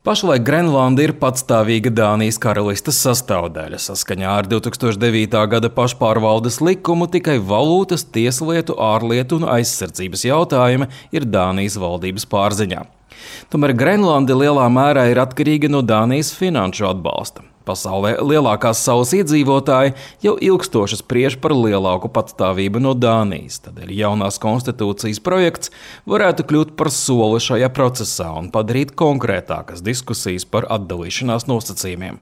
Pašlaik Grenlanda ir patstāvīga Dānijas karalistes sastāvdaļa. Saskaņā ar 2009. gada pašpārvaldes likumu tikai valūtas, tieslietu, ārlietu un aizsardzības jautājumi ir Dānijas valdības pārziņā. Tomēr Grenlanda lielā mērā ir atkarīga no Dānijas finanšu atbalsta. Pasaulē lielākās salas iedzīvotāji jau ilgstoši spriež par lielāku patstāvību no Dānijas. Tādēļ jaunās konstitūcijas projekts varētu kļūt par soli šajā procesā un padarīt konkrētākas diskusijas par atdalīšanās nosacījumiem.